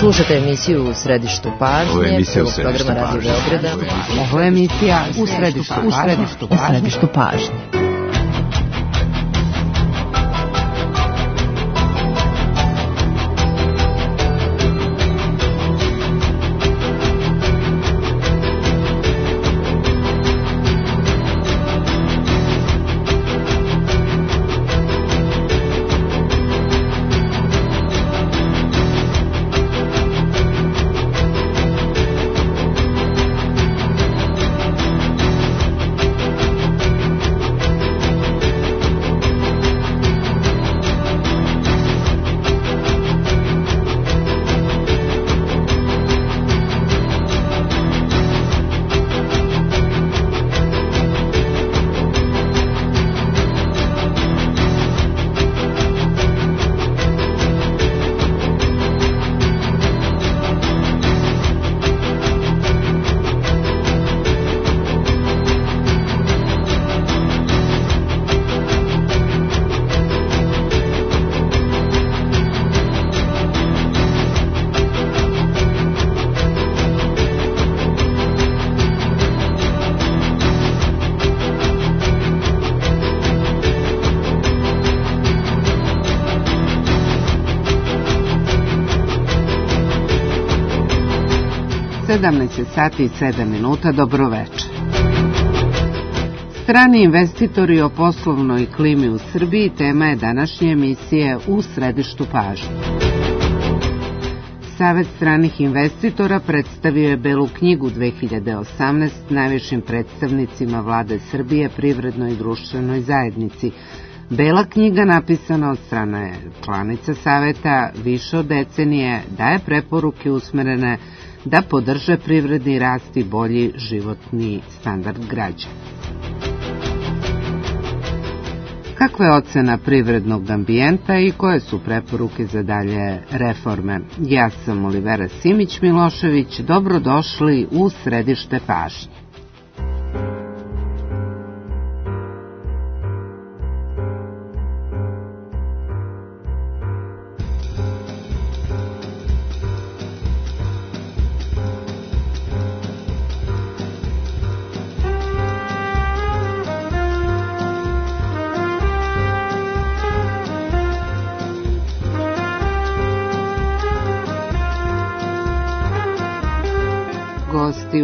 Slušate emisiju U središtu pažnje, prvog programa Radio Beograda. Ovo je emisija U središtu pažnje. Sati i 7 minuta, dobro večer. Strani investitori o poslovnoj klimi u Srbiji tema je današnje emisije U središtu pažnje. Savet stranih investitora predstavio je Belu knjigu 2018 najvišim predstavnicima vlade Srbije, privrednoj i društvenoj zajednici. Bela knjiga, napisana od strane članica Saveta više od decenije, daje preporuke usmerene da podrže privredni rast i bolji životni standard građana. Kakva je ocena privrednog ambijenta i koje su preporuke za dalje reforme? Ja sam Olivera Simić-Milošević, dobrodošli u središte pažnje.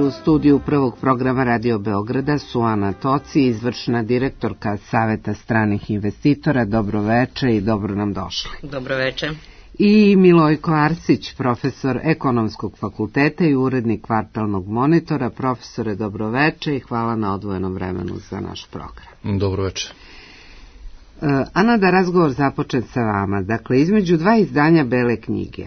U studiju prvog programa Radio Beograda su Ana Toci, izvršna direktorka Saveta stranih investitora. Dobro veče i dobro nam došli. Dobro veče. I Milojko Arsić, profesor Ekonomskog fakulteta i urednik Kvartalnog monitora. Profesore, dobro veče i hvala na odvojenom vremenu za naš program. Dobro veče. Ana, da razgovor započne sa vama. Dakle, između dva izdanja Bele knjige,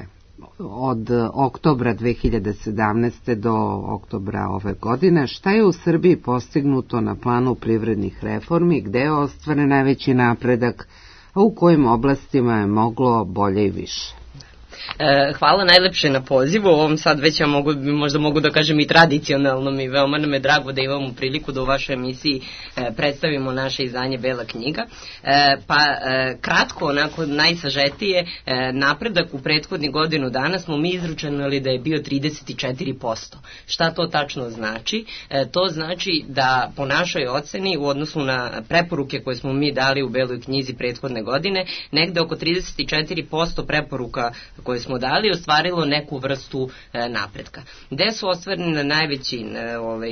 od oktobra 2017. do oktobra ove godine, šta je u Srbiji postignuto na planu privrednih reformi, gde je ostvaren najveći napredak, a u kojim oblastima je moglo bolje i više? Hvala najlepše na pozivu. Ovom sad već ja možda mogu da kažem i tradicionalnom i veoma nam je drago da imamo priliku da u vašoj emisiji predstavimo naše izdanje Bela knjiga. Kratko, onako najsažetije, napredak u prethodnih godinu dana smo mi izračunali da je bio 34%. Šta to tačno znači? To znači da po našoj oceni u odnosu na preporuke koje smo mi dali u Beloj knjizi prethodne godine, negde oko 34% preporuka koje smo dali ostvarilo neku vrstu napretka. Gde su ostvareni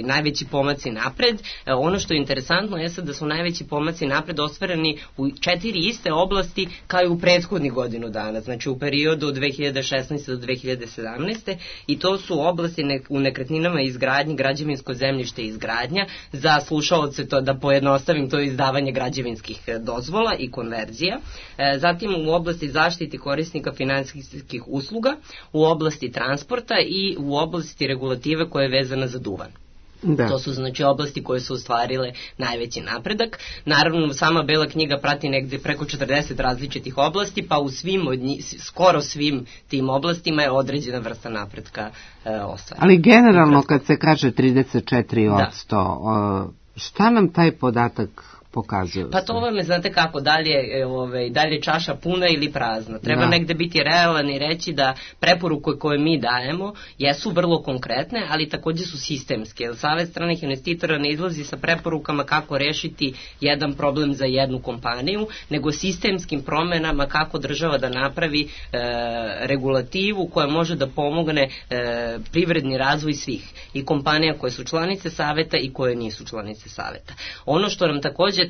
najveći pomaci napred? Ono što je interesantno je da su najveći pomaci napred ostvareni u 4 iste oblasti kao i u prethodnih godinu dana, znači u periodu od 2016. do 2017. I to su oblasti u nekretninama i izgradnji, građevinsko zemljište i izgradnja, za slušaoce to da pojednostavim, to je izdavanje građevinskih dozvola i konverzija. Zatim u oblasti zaštiti korisnika finansijskih usluga, u oblasti transporta i u oblasti regulative koja je vezana za duvan. Da. To su znači oblasti koje su ostvarile najveći napredak. Naravno, sama Bela knjiga prati negde preko 40 različitih oblasti, pa u skoro svim tim oblastima je određena vrsta napretka ostvarena. Ali generalno kad se kaže 34%, šta nam taj podatak pokazuju. Pa to vam je, znate kako, dalje čaša puna ili prazna. Treba negde biti realan i reći da preporuke koje mi dajemo jesu vrlo konkretne, ali takođe su sistemske. Jer Savet stranih investitora ne izlazi sa preporukama kako rešiti jedan problem za jednu kompaniju, nego sistemskim promenama kako država da napravi regulativu koja može da pomogne privredni razvoj svih. I kompanija koje su članice Saveta i koje nisu članice Saveta. Ono što nam takođe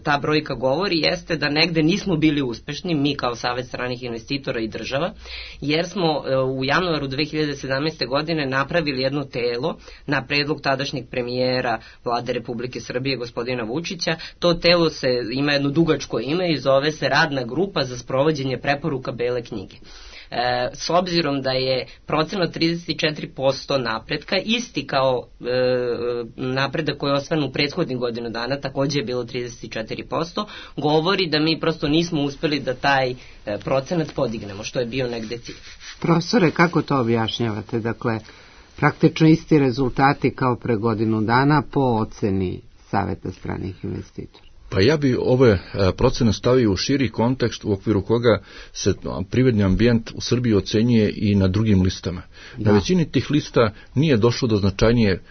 ta brojka govori jeste da negde nismo bili uspešni, mi kao Savet stranih investitora i država, jer smo u januaru 2017. godine napravili jedno telo na predlog tadašnjeg premijera Vlade Republike Srbije, gospodina Vučića. To telo ima jedno dugačko ime i zove se Radna grupa za sprovođenje preporuka Bele knjige. S obzirom da je procenat 34% napretka isti kao napredak koji je ostvaren u prethodnih godinu dana, takođe je bilo 34%, govori da mi prosto nismo uspeli da taj procenat podignemo, što je bio negde cilj. Profesore, kako to objašnjavate? Dakle, praktično isti rezultati kao pre godinu dana po oceni Saveta stranih investitora. Pa ja bi ove procene stavio u širi kontekst u okviru koga se privredni ambijent u Srbiji ocenjuje i na drugim listama. Na većini tih lista nije došlo do značajnije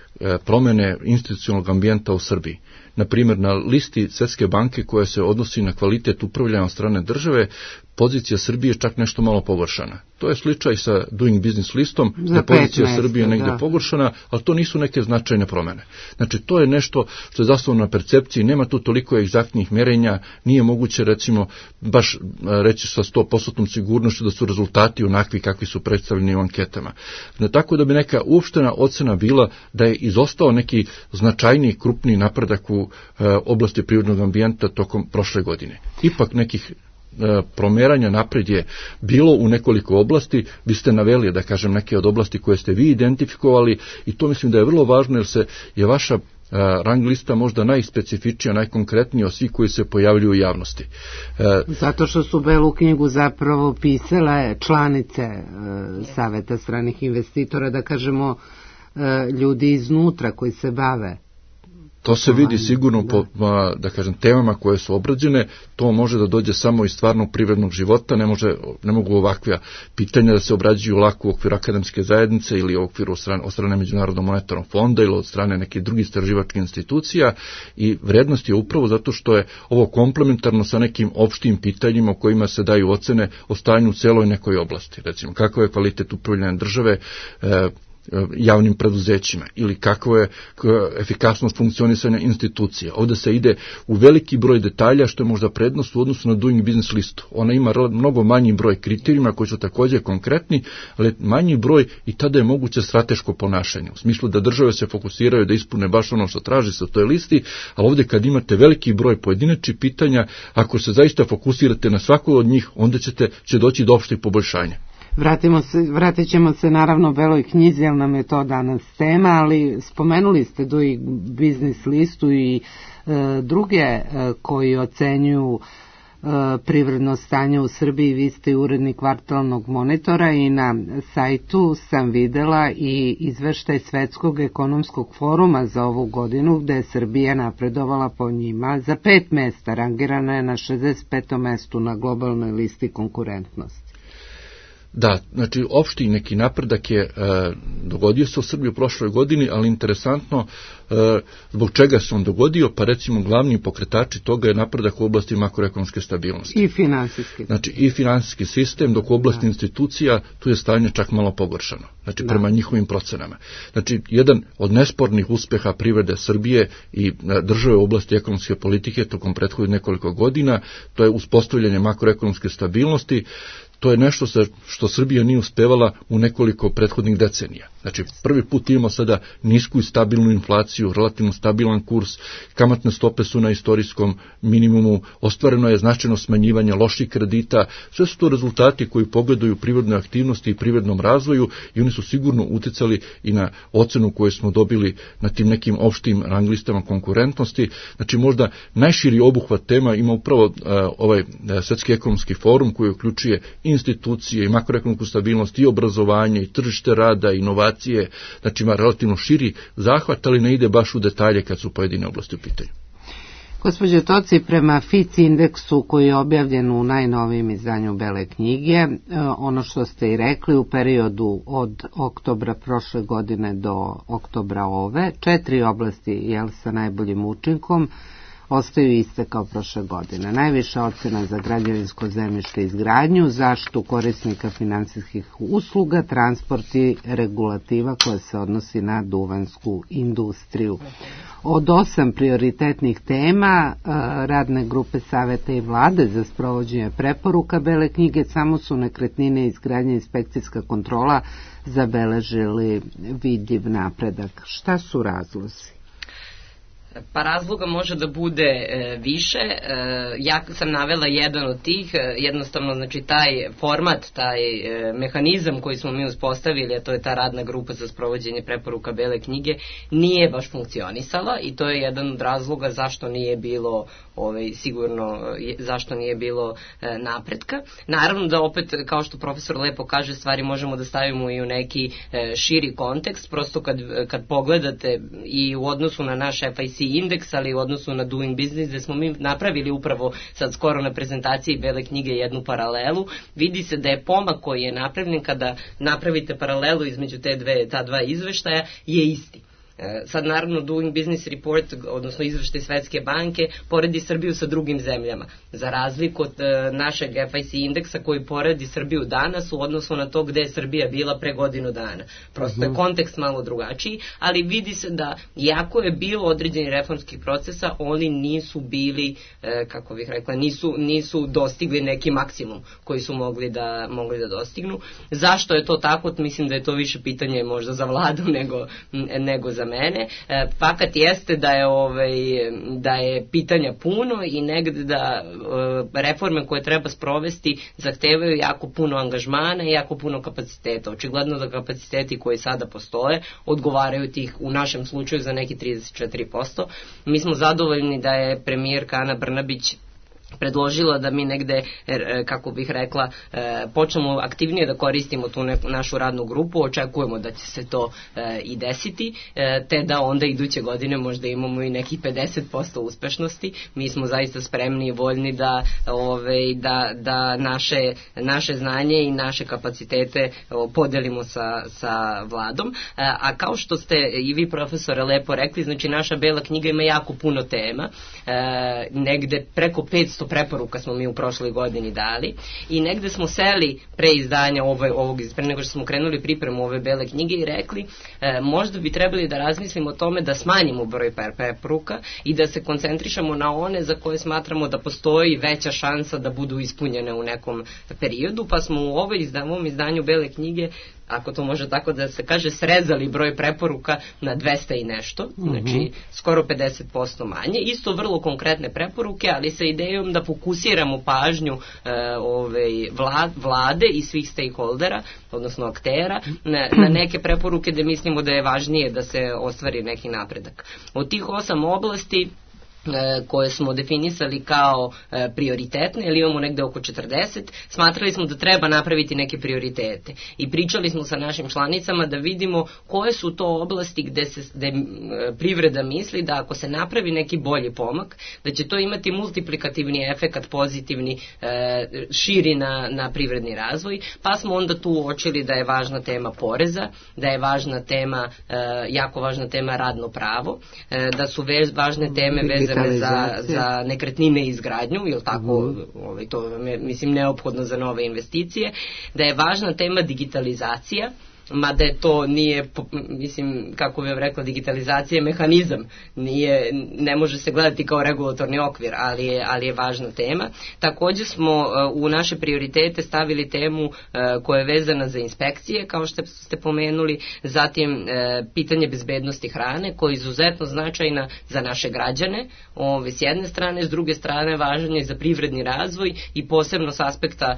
promene institucionalnog ambijenta u Srbiji. Na primjer, na listi Svetske banke koja se odnosi na kvalitet upravljanja od strane države, pozicija Srbije je čak nešto malo pogoršana. To je slučaj sa Doing Business listom, da pozicija Srbije negdje pogoršana, ali to nisu neke značajne promene. Znači, to je nešto što je zasnovano na percepciji, nema tu toliko egzaktnih merenja, nije moguće, recimo, baš reći sa 100% sigurnošću da su rezultati onakvi kakvi su predstavljeni u anketama. Tako da bi neka uopštena ocena bila da je izostao neki značajniji, krupniji napredak u oblasti privrednog ambijenta tokom prošle godine. Ipak nekih promeranja napred je bilo u nekoliko oblasti, vi ste naveli, da kažem, neke od oblasti koje ste vi identifikovali i to mislim da je vrlo važno jer je vaša rang lista možda najspecifičnija, najkonkretnija od svih koji se pojavljuju u javnosti. Zato što su Belu knjigu zapravo pisale članice Saveta stranih investitora, da kažemo ljudi iznutra koji se bave. To se vidi sigurno po, da kažem, temama koje su obrađene, to može da dođe samo iz stvarnog privrednog života, ne mogu ovakva pitanja da se obrađuju lako u okviru akademske zajednice ili u okviru od strane Međunarodnog monetarnog fonda ili od strane nekih drugih istraživačkih institucija i vrednost je upravo zato što je ovo komplementarno sa nekim opštim pitanjima o kojima se daju ocene o stanju u celoj nekoj oblasti. Recimo, kakav je kvalitet upravljanja države, javnim preduzećima ili kakva je efikasnost funkcionisanja institucija. Ovdje se ide u veliki broj detalja što je možda prednost u odnosu na Doing Business listu. Ona ima mnogo manji broj kriterijuma koji su također konkretni, ali manji broj i tada je moguće strateško ponašanje. U smislu da države se fokusiraju da ispune baš ono što traži se u toj listi, ali ovdje kad imate veliki broj pojedinačnih pitanja, ako se zaista fokusirate na svako od njih, onda će doći do opštih poboljšanja. Vratit ćemo se naravno Beloj knjizi, jer nam je to danas tema, ali spomenuli ste Doing Business listu i druge koji ocenjuju privredno stanje u Srbiji. Vi ste urednik Kvartalnog monitora i na sajtu sam videla i izveštaj Svetskog ekonomskog foruma za ovu godinu, gde je Srbija napredovala po njima za 5 mesta, rangirana je na 65. mestu na globalnoj listi konkurentnosti. Da, znači opšti neki napredak je dogodio se u Srbiji u prošloj godini, ali interesantno zbog čega se on dogodio, pa recimo glavni pokretači toga je napredak u oblasti makroekonomske stabilnosti. I finansijski. Znači i finansijski sistem, dok u oblasti institucija tu je stanje čak malo pogoršano, znači prema njihovim procenama. Znači jedan od nespornih uspeha privrede Srbije i države u oblasti ekonomske politike tokom prethodnih nekoliko godina, to je uspostavljanje makroekonomske stabilnosti. To je nešto što Srbija nije uspevala u nekoliko prethodnih decenija. Znači, prvi put imamo sada nisku i stabilnu inflaciju, relativno stabilan kurs, kamatne stope su na istorijskom minimumu, ostvareno je značajno smanjivanje loših kredita, sve su to rezultati koji pogledaju privrednoj aktivnosti i privrednom razvoju i oni su sigurno uticali i na ocenu koju smo dobili na tim nekim opštim rang listama konkurentnosti. Znači, možda najširi obuhvat tema ima upravo ovaj Svetski ekonomski forum koji uključuje institucije i makroekonomsku stabilnost i obrazovanje i tržište rada i inovacije, znači ima relativno širi zahvat, ali ne ide baš u detalje kad su pojedine oblasti u pitanju. Gospođo Toci, prema FIC indeksu koji je objavljen u najnovijem izdanju Bele knjige, ono što ste i rekli, u periodu od oktobra prošle godine do oktobra ove, 4 oblasti sa najboljim učinkom ostaju iste kao prošle godine. Najviša ocena za građevinsko zemljište i izgradnju, zaštitu korisnika finansijskih usluga, transport i regulativa koja se odnosi na duvansku industriju. Od 8 prioritetnih tema radne grupe Saveta i Vlade za sprovođenje preporuka Bele knjige samo su nekretnine i izgradnja inspekcijska kontrola zabeležili vidljiv napredak. Šta su razlozi? Pa razloga može da bude više. Ja sam navela jedan od tih, jednostavno znači taj format, taj mehanizam koji smo mi uspostavili, a to je ta radna grupa za sprovođenje preporuka Bele knjige, nije baš funkcionisala i to je jedan od razloga zašto nije bilo sigurno zašto nije bilo napretka. Naravno da opet, kao što profesor lepo kaže, stvari možemo da stavimo i u neki širi kontekst, prosto kad pogledate i u odnosu na naš FIC indeks, ali u odnosu na Doing Business, gde smo mi napravili upravo sad skoro na prezentaciji Bele knjige jednu paralelu, vidi se da je pomak koji je napravljen kada napravite paralelu između ta dva izveštaja je isti. Sad naravno Doing Business Report, odnosno izveštaj Svetske banke, poredi Srbiju sa drugim zemljama, za razliku od našeg FIC indeksa koji poredi Srbiju danas u odnosu na to gde je Srbija bila pre godinu dana. Prosto je kontekst malo drugačiji, ali vidi se da iako je bilo određeni reformskih procesa, oni nisu bili, kako bih rekla, nisu dostigli neki maksimum koji su mogli da dostignu. Zašto je to tako? Mislim da je to više pitanje možda za vladu nego za mene. Fakat jeste da je pitanja puno i negde da reforme koje treba sprovesti zahtevaju jako puno angažmana i jako puno kapaciteta. Očigledno da kapaciteti koji sada postoje odgovaraju tih u našem slučaju za neki 34%. Mi smo zadovoljni da je premijerka Ana Brnabić predložila da mi negde, kako bih rekla, počnemo aktivnije da koristimo tu našu radnu grupu, očekujemo da će se to i desiti, te da onda iduće godine možda imamo i nekih 50% uspešnosti. Mi smo zaista spremni i voljni da naše znanje i naše kapacitete podelimo sa vladom. A kao što ste i vi, profesore, lepo rekli, znači naša Bela knjiga ima jako puno tema, negde preko 500 preporuka smo mi u prošloj godini dali i negde smo seli pre izdanja pre nego što smo krenuli pripremu ove Bele knjige i rekli možda bi trebali da razmislimo o tome da smanjimo broj preporuka i da se koncentrišemo na one za koje smatramo da postoji veća šansa da budu ispunjene u nekom periodu, pa smo u ovom izdanju Bele knjige, ako to može tako da se kaže, srezali broj preporuka na 200 i nešto, znači skoro 50% manje, isto vrlo konkretne preporuke, ali sa idejom da fokusiramo pažnju vlade i svih stakeholdera, odnosno aktera, na neke preporuke gde mislimo da je važnije da se ostvari neki napredak. Od tih 8 oblasti koje smo definisali kao prioritetne, ili imamo negde oko 40, smatrali smo da treba napraviti neke prioritete. I pričali smo sa našim članicama da vidimo koje su to oblasti gde privreda misli da ako se napravi neki bolji pomak, da će to imati multiplikativni efekat, pozitivni, širi na privredni razvoj, pa smo onda tu uočili da je važna tema poreza, da je važna tema, jako važna tema radno pravo, da su važne teme vezane za nekretnine i izgradnju, ili tako, to je, mislim, neophodno za nove investicije, da je važna tema digitalizacija, mada je to nije, mislim, kako bih rekla, digitalizacija je mehanizam, ne može se gledati kao regulatorni okvir, ali je važna tema. Takođe smo u naše prioritete stavili temu koja je vezana za inspekcije, kao što ste pomenuli, zatim pitanje bezbednosti hrane, koja je izuzetno značajna za naše građane, s jedne strane, s druge strane važan je za privredni razvoj i posebno s aspekta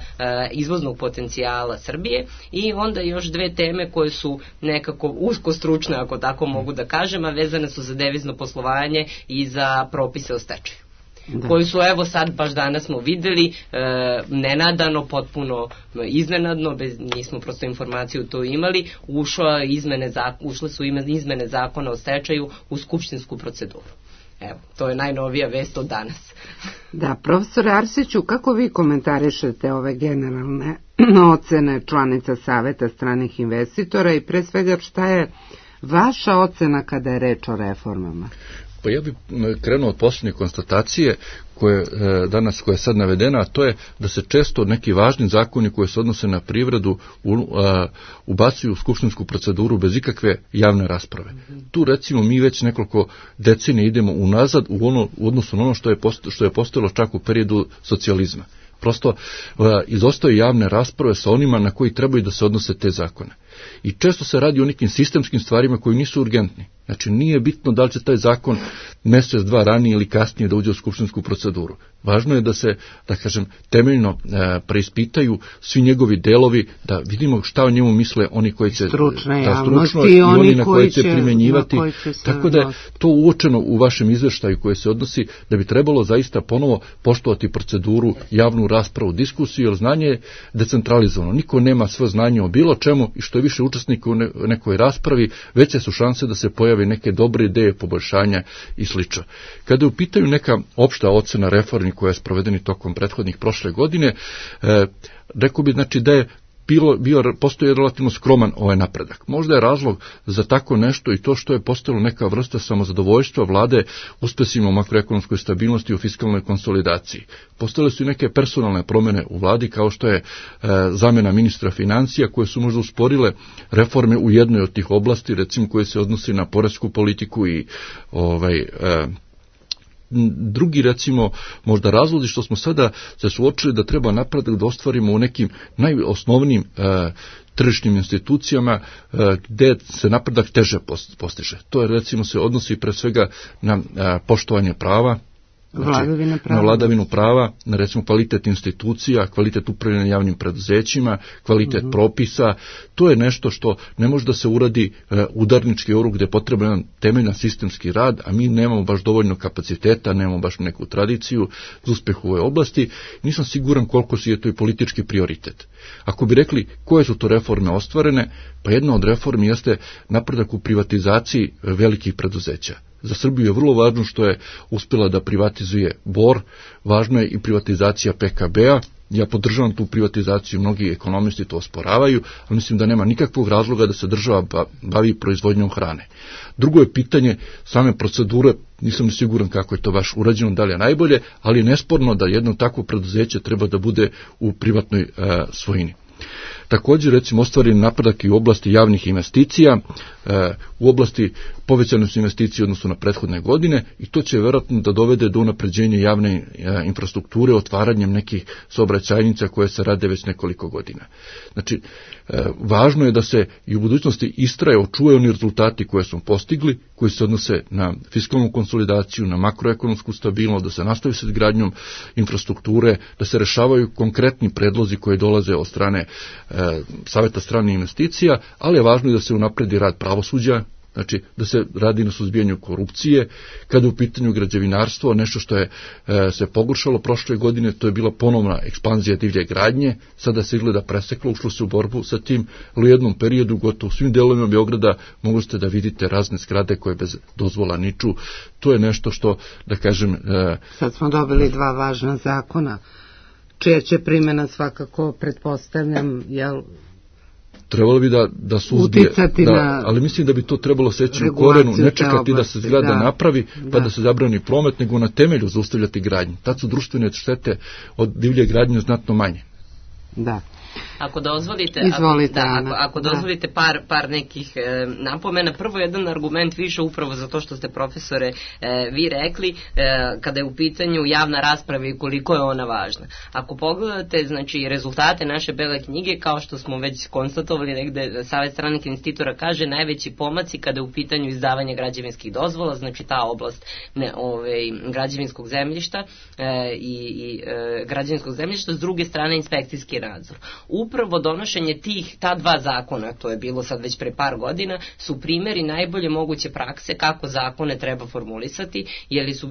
izvoznog potencijala Srbije, i onda još dve teme koje su nekako usko stručne, ako tako mogu da kažem, a vezane su za devizno poslovanje i za propise o stečaju. Koji su, evo sad, baš danas smo videli, nenadano, potpuno iznenadno, nismo prosto informaciju to imali, ušle su izmene zakona o stečaju u skupštinsku proceduru. Evo, to je najnovija vest od danas. Da, profesore Arsiću, kako vi komentarišete ove generalne ocene članica Saveta stranih investitora i pre svega šta je vaša ocena kada je reč o reformama? Pa ja bih krenuo od posljednje konstatacije koja je sad navedena, a to je da se često neki važni zakoni koji se odnose na privredu ubacuju u skupštinsku proceduru bez ikakve javne rasprave. Tu recimo mi već nekoliko decenija idemo unazad u odnosu na ono što je postojalo čak u periodu socijalizma. Prosto izostaju javne rasprave sa onima na koji trebaju da se odnose te zakone. I često se radi o nekim sistemskim stvarima koji nisu urgentni. Znači nije bitno da li će taj zakon mjesec, dva ranije ili kasnije da uđe u skupštinsku proceduru. Važno je da se, da kažem, temeljno preispitaju svi njegovi delovi, da vidimo šta o njemu misle oni koji će stručno i oni na koji će primjenjivati. Tako da je to uočeno u vašem izveštaju koji se odnosi da bi trebalo zaista ponovo poštovati proceduru, javnu raspravu, diskusiju, jer znanje je decentralizovano. Niko nema sve znanje o bilo čemu i što je više učesnika u nekoj raspravi, veće su šanse da se pojave neke dobre ideje, poboljšanja i slično. Kada je u pitanju neka opšta ocena reformi koja je sprovedeni tokom prethodnih prošle godine, rekao bi znači da je postoji relativno skroman ovaj napredak. Možda je razlog za tako nešto i to što je postojalo neka vrsta samozadovoljstva vlade uspesima u makroekonomskoj stabilnosti i u fiskalnoj konsolidaciji. Postojale su i neke personalne promjene u vladi kao što je zamjena ministra financija koje su možda usporile reforme u jednoj od tih oblasti, recimo koje se odnosi na poresku politiku i drugi, recimo, možda razlozi što smo sada se suočili da treba napredak da ostvarimo u nekim najosnovnijim tržišnim institucijama gdje se napredak teže postiže. To je, recimo, se odnosi pre svega na poštovanje prava, na vladavinu prava, na recimo kvalitet institucija, kvalitet upravljanja javnim preduzećima, kvalitet propisa. To je nešto što ne može da se uradi udarnički oruk gdje je potreban temeljan sistemski rad, a mi nemamo baš dovoljno kapaciteta, nemamo baš neku tradiciju za uspjeh u ovoj oblasti. Nisam siguran koliko je to i politički prioritet. Ako bi rekli koje su to reforme ostvarene, pa jedna od reformi jeste napredak u privatizaciji velikih preduzeća. Za Srbiju je vrlo važno što je uspjela da privatizuje Bor, važno je i privatizacija PKB-a. Ja podržavam tu privatizaciju, mnogi ekonomisti to osporavaju, ali mislim da nema nikakvog razloga da se država bavi proizvodnjom hrane. Drugo je pitanje same procedure, nisam siguran kako je to baš urađeno, da li je najbolje, ali je nesporno da jedno takvo preduzeće treba da bude u privatnoj svojini. Također, recimo, ostvaren napredak i u oblasti javnih investicija, u oblasti povećane su investicije odnosno na prethodne godine i to će vjerojatno da dovede do unapređenja javne infrastrukture otvaranjem nekih saobraćajnica koje se rade već nekoliko godina. Znači, važno je da se i u budućnosti istraje, očuvaju oni rezultati koje smo postigli, koji se odnose na fiskalnu konsolidaciju, na makroekonomsku stabilnost, da se nastavi s izgradnjom infrastrukture, da se rešavaju konkretni predlozi koji dolaze od strane Saveta stranih investicija, ali je važno i da se unapredi rad pravosuđa, znači da se radi na suzbijanju korupcije. Kada je u pitanju građevinarstvo, nešto što je se pogoršalo prošle godine, to je bila ponovna ekspanzija divlje gradnje, sada se izgleda preseklo, ušlo se u borbu sa tim, ali u jednom periodu gotovo u svim delovima Beograda mogli ste da vidite razne zgrade koje bez dozvola niču. To je nešto što, da kažem... Sad smo dobili dva važna zakona, čija će primjena svakako, pretpostavljam, jel... Trebalo bi da suzbije, ali mislim da bi to trebalo seći u korenu, ne čekati da se zgrada napravi, pa da se zabrani promet, nego na temelju zaustavljati gradnju. Tad su društvene štete od divlje gradnje znatno manje. Da. Ako dozvolite, ako dozvolite par nekih napomena. Prvo, jedan argument više upravo za to što ste, profesore, vi rekli, kada je u pitanju javna rasprava i koliko je ona važna. Ako pogledate, znači, rezultate naše bele knjige, kao što smo već konstatovali negde, Savet stranih investitora kaže najveći pomaci kada je u pitanju izdavanja građevinskih dozvola, znači ta oblast građevinskog zemljišta i građevinskog zemljišta, s druge strane inspekcijski nadzor. upravo donošenje ta dva zakona, to je bilo sad već pre par godina, su primjeri najbolje moguće prakse kako zakone treba formulisati,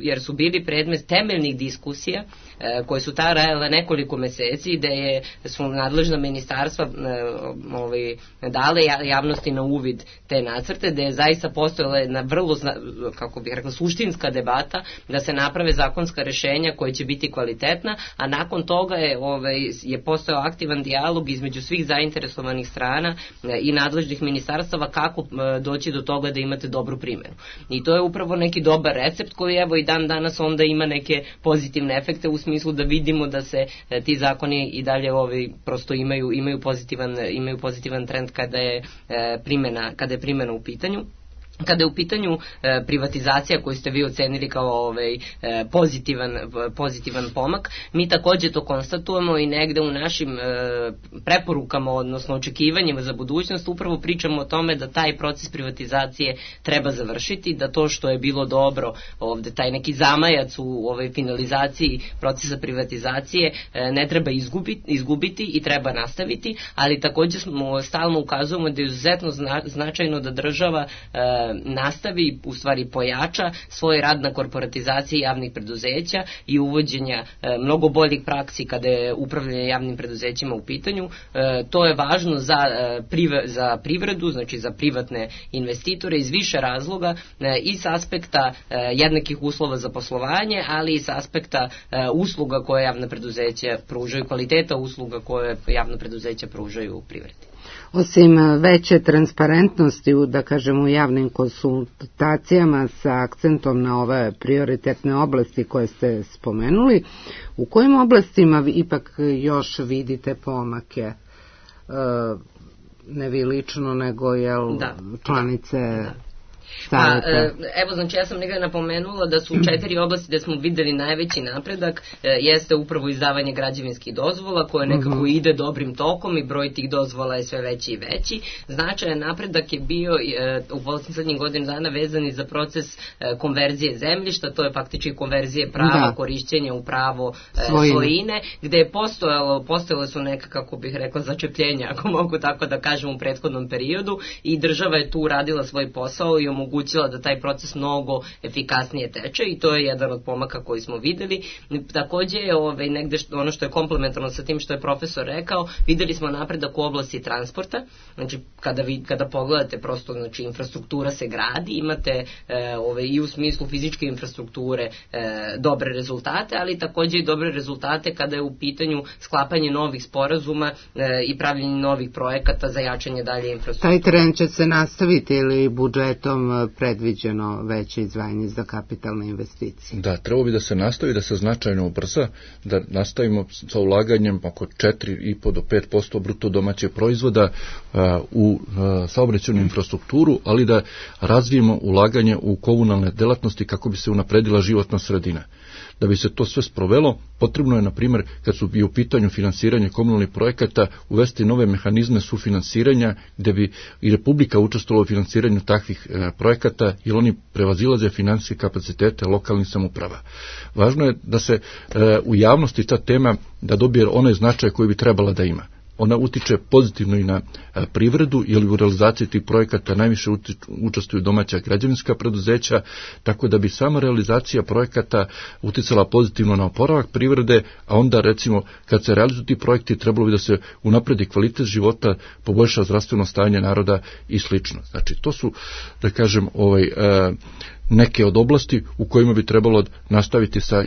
jer su bili predmet temeljnih diskusija koje su trajale nekoliko meseci, gde su nadležna ministarstva dale javnosti na uvid te nacrte, gde je zaista postojala jedna vrlo, kako bih rekla, suštinska debata da se naprave zakonska rešenja koje će biti kvalitetna, a nakon toga je postojao aktivan dijalog između svih zainteresovanih strana i nadležnih ministarstava kako doći do toga da imate dobru primjenu. I to je upravo neki dobar recept koji evo i dan danas onda ima neke pozitivne efekte u smislu da vidimo da se ti zakoni i dalje prosto imaju pozitivan trend kada je primjena u pitanju. Kada je u pitanju privatizacija koju ste vi ocenili kao pozitivan pomak, mi takođe to konstatujemo i negde u našim preporukama, odnosno očekivanjima za budućnost, upravo pričamo o tome da taj proces privatizacije treba završiti, da to što je bilo dobro ovde, taj neki zamajac u finalizaciji procesa privatizacije ne treba izgubiti i treba nastaviti, ali takođe stalno ukazujemo da je izuzetno značajno da država nastavi, u stvari pojača svoj rad na korporatizaciji javnih preduzeća i uvođenja mnogo boljih praksi kada je upravljanje javnim preduzećima u pitanju. To je važno za privredu, znači za privatne investitore iz više razloga, i s aspekta jednakih uslova za poslovanje, ali i s aspekta usluga koje javna preduzeća pružaju, kvaliteta usluga koje javna preduzeća pružaju u privredi. Osim veće transparentnosti u javnim konsultacijama sa akcentom na ove prioritetne oblasti koje ste spomenuli, u kojim oblastima ipak još vidite pomake? Ne vi lično, nego članice... Evo, znači ja sam negdje napomenula da su 4 oblasti gde smo videli najveći napredak, jeste upravo izdavanje građevinskih dozvola koje nekako ide dobrim tokom i broj tih dozvola je sve veći i veći. Značajan napredak je bio u poslednjih godina dana vezan i za proces konverzije zemljišta, to je faktički konverzije prava korišćenja u pravo svojine, gde je postojale su neka, kako bih rekla, začepljenja, ako mogu tako da kažem, u prethodnom periodu, i država je tu radila svoj posao i omogućila da taj proces mnogo efikasnije teče, i to je jedan od pomaka koji smo videli. Takođe je negde ono što je komplementarno sa tim što je profesor rekao, videli smo napredak u oblasti transporta. Znači kada pogledate prosto, znači infrastruktura se gradi, imate i u smislu fizičke infrastrukture dobre rezultate, ali takođe i dobre rezultate kada je u pitanju sklapanje novih sporazuma i pravljenje novih projekata za jačanje dalje infrastrukture. Taj trend će se nastaviti ili budžetom predviđeno veće izdvajanje za kapitalne investicije? Da, trebalo bi da se nastavi, da se značajno ubrza, da nastavimo sa ulaganjem oko 4,5 do 5% bruto domaćeg proizvoda u saobraćajnu infrastrukturu, ali da razvijemo ulaganje u komunalne delatnosti kako bi se unapredila životna sredina. Da bi se to sve sprovelo, potrebno je, na primjer, kad su i u pitanju finansiranja komunalnih projekata, uvesti nove mehanizme sufinansiranja, gde bi i Republika učestvovala u finansiranju takvih projekata, jer oni prevazilaze finansijske kapacitete lokalnih samouprava. Važno je da se u javnosti ta tema da dobije onaj značaj koji bi trebala da ima. Ona utiče pozitivno i na privredu, jer u realizaciji tih projekata najviše učestvuju domaća građevinska preduzeća, tako da bi sama realizacija projekata uticala pozitivno na oporavak privrede, a onda recimo kad se realizuju ti projekti trebalo bi da se unapredi kvalitet života, poboljša zdravstveno stanje naroda i slično. Znači to su, da kažem, neke od oblasti u kojima bi trebalo nastaviti sa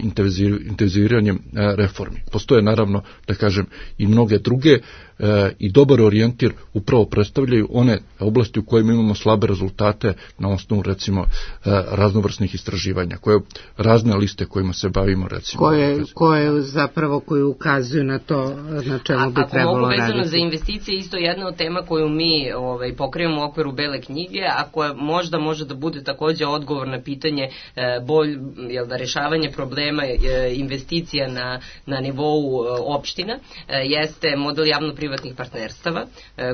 intenziviranjem reformi. Postoje naravno, da kažem, i mnoge druge i dobar orijentir upravo predstavljaju one oblasti u kojima imamo slabe rezultate na osnovu, recimo, raznovrsnih istraživanja, razne liste kojima se bavimo, recimo. Koji ukazuju na to na čemu bi trebalo raditi. Ako mogu vezano za investicije, isto jedna od tema koju mi pokrivamo u okviru Bele knjige, a koja možda može da bude takođe odgovor na pitanje rešavanje problema investicija na nivou opština, jeste model javno-privatnih partnerstava,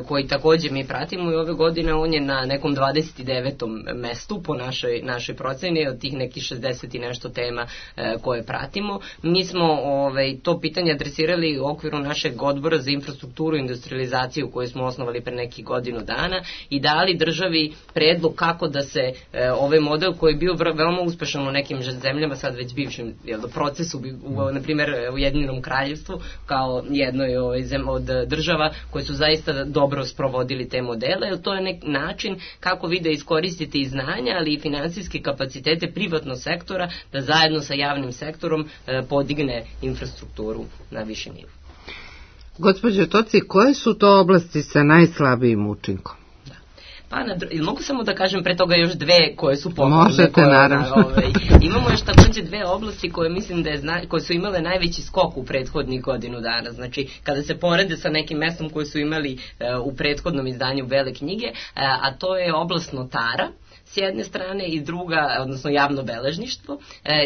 koji takođe mi pratimo i ove godine on je na nekom 29. mestu po našoj proceni od tih nekih 60 i nešto tema koje pratimo. Mi smo to pitanje adresirali u okviru našeg odbora za infrastrukturu i industrializaciju koju smo osnovali pre nekih godinu dana i dali državi predlog kako da se ovaj model koji je bio veoma uspešan u nekim zemljama, sad već bivšem procesu, na primjer u Ujedinjenom kraljevstvu, kao jednoj od država koje su zaista dobro sprovodili te modele, jer to je neki način kako vi da iskoristite i znanja, ali i finansijske kapacitete privatnog sektora da zajedno sa javnim sektorom podigne infrastrukturu na viši nivo. Gospođo Toci, koje su to oblasti sa najslabijim učinkom? Pa, mogu samo da kažem pre toga još dve koje su pohvalne. Možete, naravno. Imamo još takođe dve oblasti koje mislim koje su imale najveći skok u prethodnih godinu dana. Znači, kada se porede sa nekim mestom koje su imali u prethodnom izdanju Bele knjige, a to je oblast notara, s jedne strane, i druga, odnosno javno beležništvo,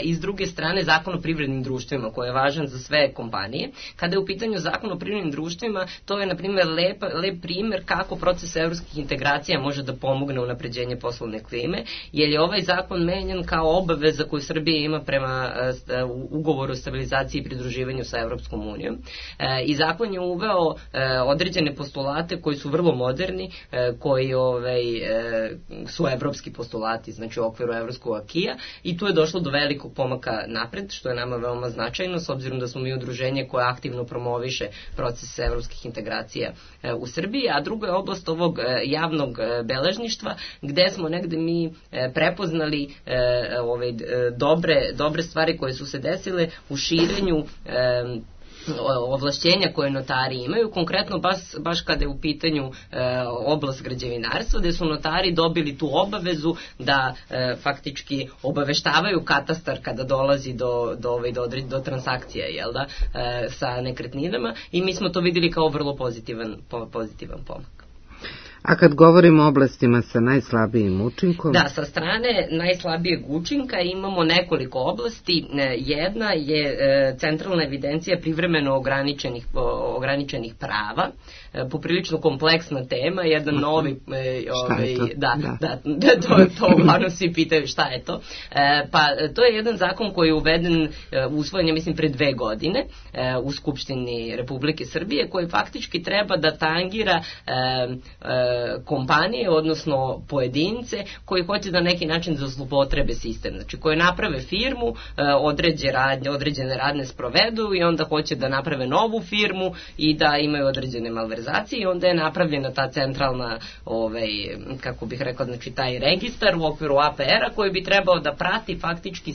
i s druge strane Zakon o privrednim društvima, koji je važan za sve kompanije. Kada je u pitanju Zakon o privrednim društvima, to je, na primjer, lep primer kako proces evropskih integracija može da pomogne u napređenje poslovne klime, jer je ovaj zakon menjan kao obaveza koju Srbija ima prema ugovoru o stabilizaciji i pridruživanju sa Evropskom unijom. I zakon je uveo određene postulate koji su vrlo moderni, koji su evropski postulati, znači u okviru evropskog akija, i tu je došlo do velikog pomaka napred, što je nama veoma značajno, s obzirom da smo mi udruženje koje aktivno promoviše proces evropskih integracija u Srbiji, a druga je oblast ovog javnog beležništva, gde smo negde mi prepoznali dobre stvari koje su se desile u širenju ovlašćenja koje notari imaju, konkretno baš kada je u pitanju oblast građevinarstva, gde su notari dobili tu obavezu da faktički obaveštavaju katastar kada dolazi do transakcija, sa nekretninama, i mi smo to videli kao vrlo pozitivan pomak. A kad govorimo o oblastima sa najslabijim učinkom? Da, sa strane najslabijeg učinka imamo nekoliko oblasti. Jedna je centralna evidencija privremeno ograničenih prava, poprilično kompleksna tema, jedan novi... Šta je to? To uglavnom svi pitaju šta je to. Pa to je jedan zakon koji je usvojen, ja mislim, pre 2 godine u Skupštini Republike Srbije, koji faktički treba da tangira kompanije, odnosno pojedince koji hoće da neki način da zloupotrebe sistem, znači koji naprave firmu, određene radne sprovedu i onda hoće da naprave novu firmu i da imaju određene malverzacije, i onda je napravljena ta centralna, kako bih rekao, znači taj registar u okviru APR-a koji bi trebao da prati faktički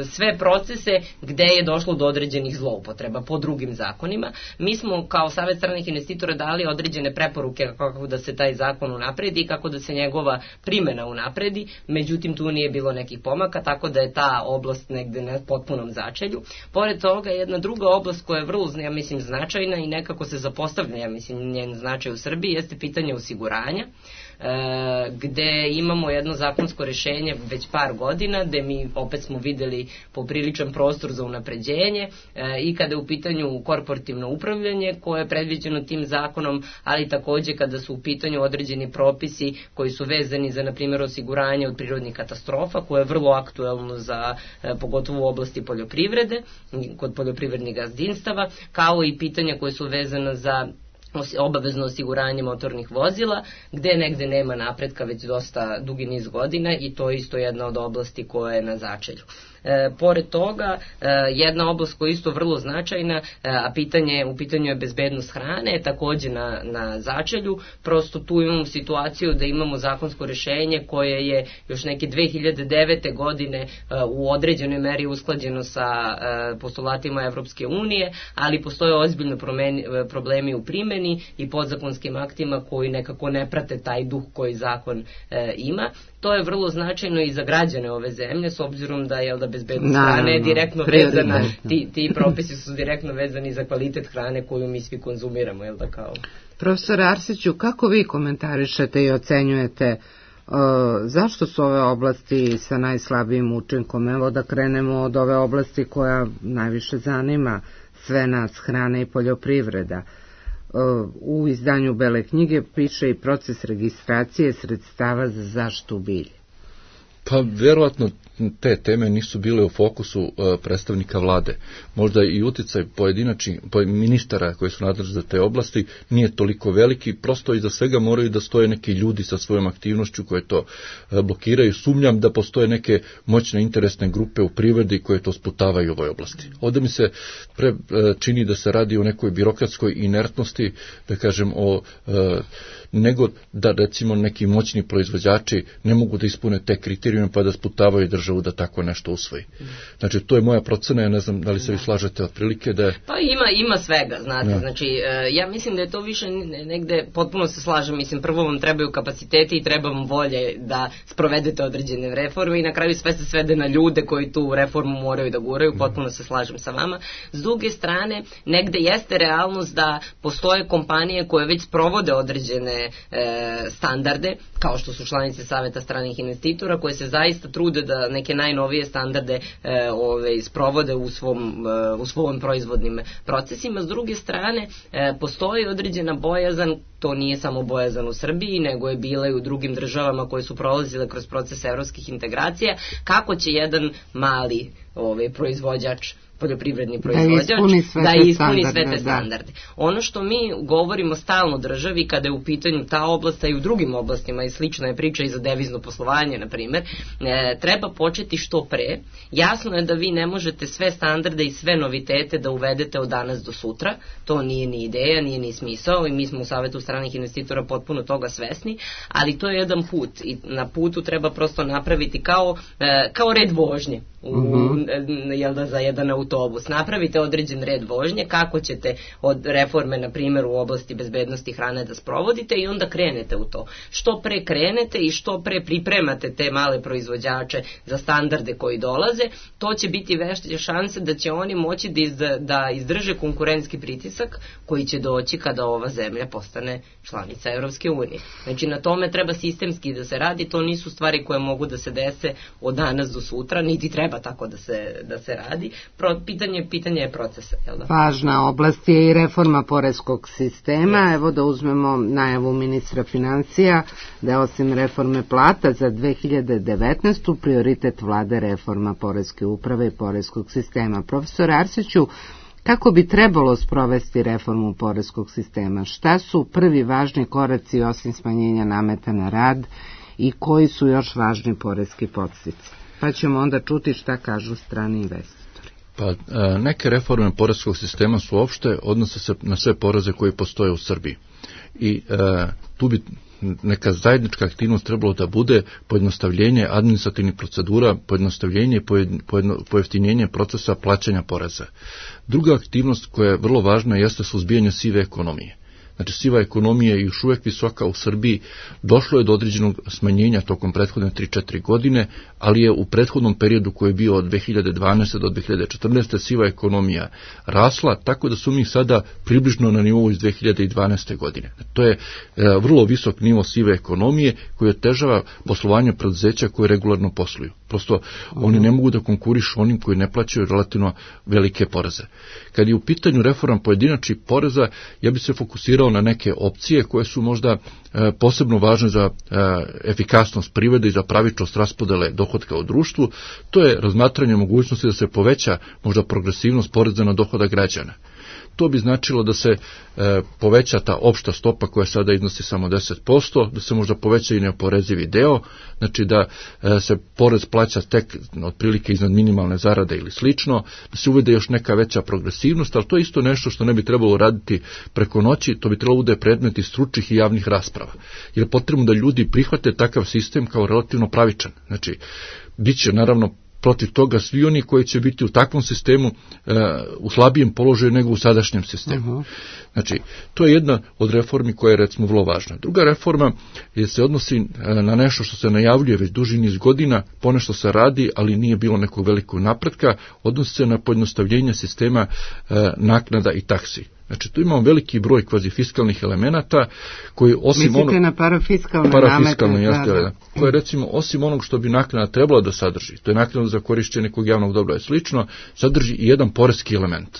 sve procese gde je došlo do određenih zloupotreba po drugim zakonima. Mi smo kao Savet stranih investitora dali određene preporuke kako da se taj zakon unapredi i kako da se njegova primena unapredi, međutim tu nije bilo nekih pomaka, tako da je ta oblast negde na potpunom začelju. Pored toga, jedna druga oblast koja je vrlo, ja mislim, značajna i nekako se zapostavlja, ja mislim, njen značaj u Srbiji, jeste pitanje osiguranja, gde imamo jedno zakonsko rešenje već par godina, gde mi opet smo videli popriličan prostor za unapređenje, i kada je u pitanju korporativno upravljanje koje je predviđeno tim zakonom, ali takođe kada su u pitanju određeni propisi koji su vezani za, na primjer, osiguranje od prirodnih katastrofa, koje je vrlo aktuelno pogotovo u oblasti poljoprivrede, kod poljoprivrednih gazdinstava, kao i pitanja koje su vezana za obavezno osiguranje motornih vozila, gde negde nema napretka već dosta dugi niz godina, i to je isto jedna od oblasti koja je na začelju. Pored toga, jedna oblast koja je isto vrlo značajna, a u pitanju je bezbednost hrane, takođe na začelju. Prosto tu imamo situaciju da imamo zakonsko rešenje koje je još neke 2009. godine u određenoj meri usklađeno sa postulatima Evropske unije, ali postoje ozbiljno problemi u primeni, primeni i podzakonskim aktima koji nekako ne prate taj duh koji zakon ima. To je vrlo značajno i za građane ove zemlje, s obzirom da je bezbednost hrane je direktno vezana, ti propisi su direktno vezani za kvalitet hrane koju mi svi konzumiramo, jel da kao? Profesor Arsiću, kako vi komentarišete i ocenjujete zašto su ove oblasti sa najslabijim učinkom? Evo da krenemo od ove oblasti koja najviše zanima sve nas, hrana i poljoprivreda. U izdanju Bele knjige piše i proces registracije sredstava za zaštitu bilja. Pa verovatno te teme nisu bile u fokusu predstavnika vlade. Možda i uticaj pojedinačnih ministara koji su nadležni za te oblasti nije toliko veliki, prosto iza svega moraju da stoje neki ljudi sa svojom aktivnošću koje to blokiraju. Sumnjam da postoje neke moćne interesne grupe u privredi koje to sputavaju u ovoj oblasti. Ovdje mi se čini da se radi o nekoj birokratskoj inertnosti, da kažem nego da recimo neki moćni proizvođači ne mogu da ispune te kriterijume pa da sputavaju državu da tako nešto usvoji. Znači, to je moja procena, ja ne znam da li se vi slažete otprilike da je... Pa ima svega, znate, ja. Znači, ja mislim da je to više negde, potpuno se slažem, mislim, prvo vam trebaju kapaciteti i treba vam volje da sprovedete određene reforme i na kraju sve se svede na ljude koji tu reformu moraju da guraju, potpuno se slažem sa vama. S druge strane, negde jeste realnost da postoje kompanije koje već sprovode određene standarde, kao što su članice Saveta stranih investitora, koje se zaista trude da neke najnovije standarde sprovode u svojim proizvodnim procesima. S druge strane, postoji određena bojazan, to nije samo bojazan u Srbiji, nego je bila i u drugim državama koje su prolazile kroz proces evropskih integracija, kako će jedan mali proizvođač, poljoprivredni proizvođač da ispuni sve te standarde. Ono što mi govorimo stalno državi kada je u pitanju ta oblast, a i u drugim oblastima i slična je priča i za devizno poslovanje, na primjer, treba početi što pre. Jasno je da vi ne možete sve standarde i sve novitete da uvedete od danas do sutra, to nije ni ideja, nije ni smisao i mi smo u Savetu stranih investitora potpuno toga svesni, ali to je jedan put i na putu treba prosto napraviti kao red vožnje. Za jedan autobus. Napravite određen red vožnje, kako ćete od reforme, na primjer, u oblasti bezbednosti hrane da sprovodite i onda krenete u to. Što pre krenete i što pre pripremate te male proizvođače za standarde koji dolaze, to će biti veće šanse da će oni moći da izdrže konkurentski pritisak koji će doći kada ova zemlja postane članica Evropske unije. Znači, na tome treba sistemski da se radi, to nisu stvari koje mogu da se dese od danas do sutra, niti treba tako da se radi. Pitanje je procesa. Jel da? Važna oblast je i reforma poreskog sistema. Evo da uzmemo najavu ministra financija da osim reforme plata za 2019. prioritet vlade reforma poreske uprave i poreskog sistema. Profesor Arsiću, kako bi trebalo sprovesti reformu poreskog sistema? Šta su prvi važni koraci osim smanjenja nameta na rad i koji su još važni poreski podsticaji? Pa ćemo onda čuti šta kažu strani investitori. Pa neke reforme poreskog sistema su opšte, odnose se na sve poreze koji postoje u Srbiji. I tu bi neka zajednička aktivnost trebalo da bude pojednostavljenje administrativnih procedura, pojednostavljenje i pojeftinjenje procesa plaćanja poreza. Druga aktivnost koja je vrlo važna jeste suzbijanje sive ekonomije. Znači, siva ekonomija je još uvijek visoka u Srbiji, došlo je do određenog smanjenja tokom prethodne 3-4 godine, ali je u prethodnom periodu koji je bio od 2012. do 2014. siva ekonomija rasla, tako da su mi sada približno na nivou iz 2012. godine. To je vrlo visok nivo sive ekonomije koji otežava poslovanje preduzeća koje regularno posluju. Prosto oni ne mogu da konkurišu onim koji ne plaćaju relativno velike poreze. Kad je u pitanju reforma pojedinačnih poreza, ja bi se fokusirao na neke opcije koje su možda posebno važne za efikasnost privrede i za pravičnost raspodele dohotka u društvu. To je razmatranje mogućnosti da se poveća možda progresivnost poreza na dohodak građana. To bi značilo da se poveća ta opšta stopa koja sada iznosi samo 10%, da se možda poveća i neoporezivi deo, znači da se porez plaća tek otprilike iznad minimalne zarade ili slično, da se uvede još neka veća progresivnost, ali to je isto nešto što ne bi trebalo raditi preko noći, to bi trebalo bude predmet i stručnih i javnih rasprava. Jer je potrebno da ljudi prihvate takav sistem kao relativno pravičan. Znači, bit će naravno protiv toga svi oni koji će biti u takvom sistemu u slabijem položaju nego u sadašnjem sistemu. Znači, to je jedna od reformi koja je recimo vrlo važna. Druga reforma se odnosi na nešto što se najavljuje već duži niz godina, ponešto se radi, ali nije bilo nekog velikog napretka, odnosi se na pojednostavljenje sistema naknada i taksi. Znači, tu imamo veliki broj kvazifiskalnih elemenata koji osim mislite na parafiskalne namete, koje recimo osim onog što bi naknada trebala da sadrži, to je naknada za korišćenje nekog javnog dobra i slično, sadrži i jedan poreski element.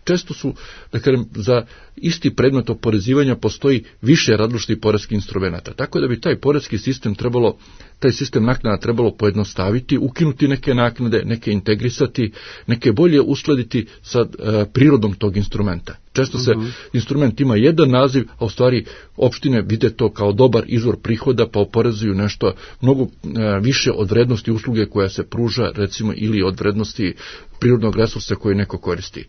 Često su, da kažem, za isti predmet oporezivanja postoji više različitih poreskih instrumenata, tako da bi taj poreski sistem trebalo, taj sistem naknada trebalo pojednostaviti, ukinuti neke naknade, neke integrisati, neke bolje uskladiti sa prirodom tog instrumenta. Često se instrument ima jedan naziv, a u stvari opštine vide to kao dobar izvor prihoda, pa oporezuju nešto mnogo više od vrednosti usluge koja se pruža, recimo, ili od vrednosti prirodnog resursa koji neko koristi.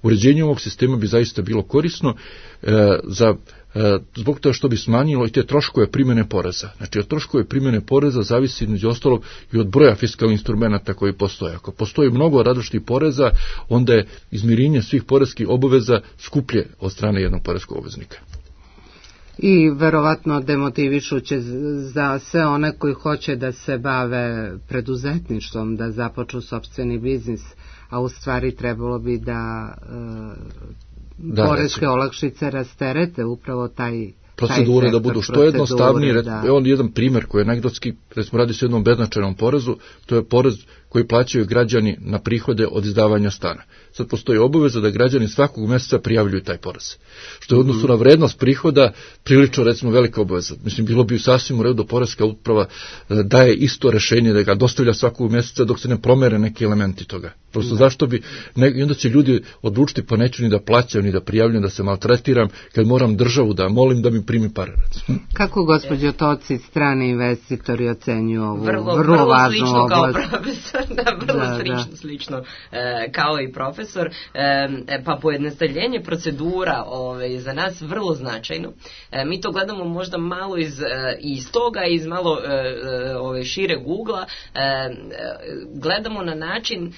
Uređenje ovog sistema bi zaista bilo korisno zbog toga što bi smanjilo i te troškove primjene poreza. Znači, od troškove primjene poreza zavisi između ostalog i od broja fiskalnih instrumenta koji postoje. Ako postoji mnogo različitih poreza, onda je izmirenje svih poreskih obaveza skuplje od strane jednog poreskog obveznika. I verovatno demotivišuće za sve one koji hoće da se bave preduzetništvom, da započnu sopstveni biznis, a u stvari trebalo bi da poreske olakšice rasterete upravo taj procedure da budu što jednostavnije. On jedan primjer koji je anegdotski, recimo radi se o jednom beznačajnom porezu, to je porez koji plaćaju građani na prihode od izdavanja stana. Sad postoji obaveza da građani svakog mjeseca prijavljuju taj porez. Što je u odnosu na vrednost prihoda prilično, recimo, velika obaveza. Mislim, bilo bi sasvim u redu poreska uprava daje isto rešenje da ga dostavlja svakog mjeseca dok se ne promere neki elementi toga. Prosto zašto bi, i onda će ljudi odlučiti pa neću ni da plaćam, ni da prijavljam, da se maltretiram, kad moram državu da molim da mi primi pare. Recimo. Kako, gospođo Toci, strani investitori ocenjuju ovu vrlo važnu oblast? Vrlo slično kao i profesor. Pa pojednostavljenje procedura za nas vrlo značajno. Mi to gledamo možda malo iz toga, iz malo šireg ugla. Gledamo na način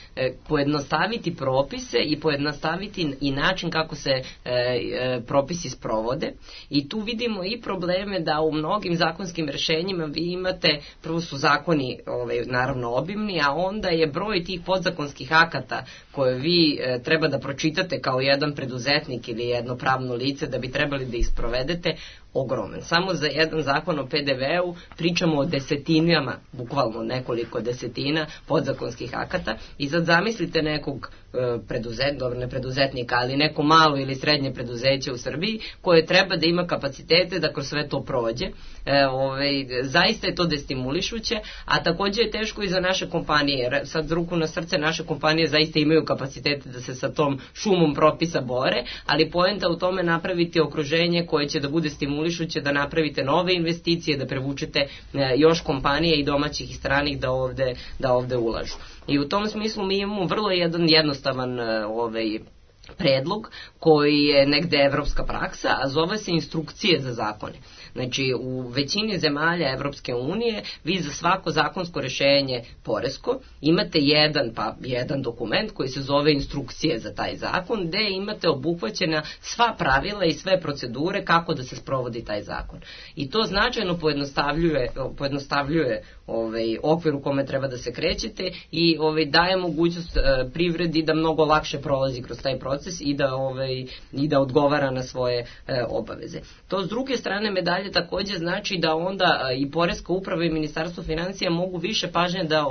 pojednostaviti propise i pojednostaviti i način kako se propisi sprovode. I tu vidimo i probleme da u mnogim zakonskim rešenjima vi imate, prvo su zakoni naravno obimni, a onda je broj tih podzakonskih akata koje vi treba da pročitate kao jedan preduzetnik ili jedno pravno lice da bi trebali da ih sprovedete, ogroman. Samo za jedan zakon o PDV-u pričamo o desetinama, bukvalno nekoliko desetina podzakonskih akata i sad zamislite nekog preduzetnika, ali neko malo ili srednje preduzeće u Srbiji koje treba da ima kapacitete da kroz sve to prođe. Zaista je to destimulišuće, a također je teško i za naše kompanije. Sad ruku na srce, naše kompanije zaista imaju kapacitete da se sa tom šumom propisa bore, ali poenta u tome napraviti okruženje koje će da bude stimulišuće, da napravite nove investicije, da prevučete još kompanije i domaćih i stranih da ovde ulažu. I u tom smislu mi imamo vrlo jednostavan predlog koji je negde evropska praksa, a zove se instrukcije za zakone. Znači, u većini zemalja Evropske unije vi za svako zakonsko rešenje poresko imate jedan dokument koji se zove instrukcije za taj zakon, gde imate obuhvaćena sva pravila i sve procedure kako da se sprovodi taj zakon. I to značajno pojednostavljuje okvir u kome treba da se krećete i daje mogućnost privredi da mnogo lakše prolazi kroz taj proces i da odgovara na svoje obaveze. To s druge strane medalje također znači da onda i poreska uprava i ministarstvo financija mogu više pažnje da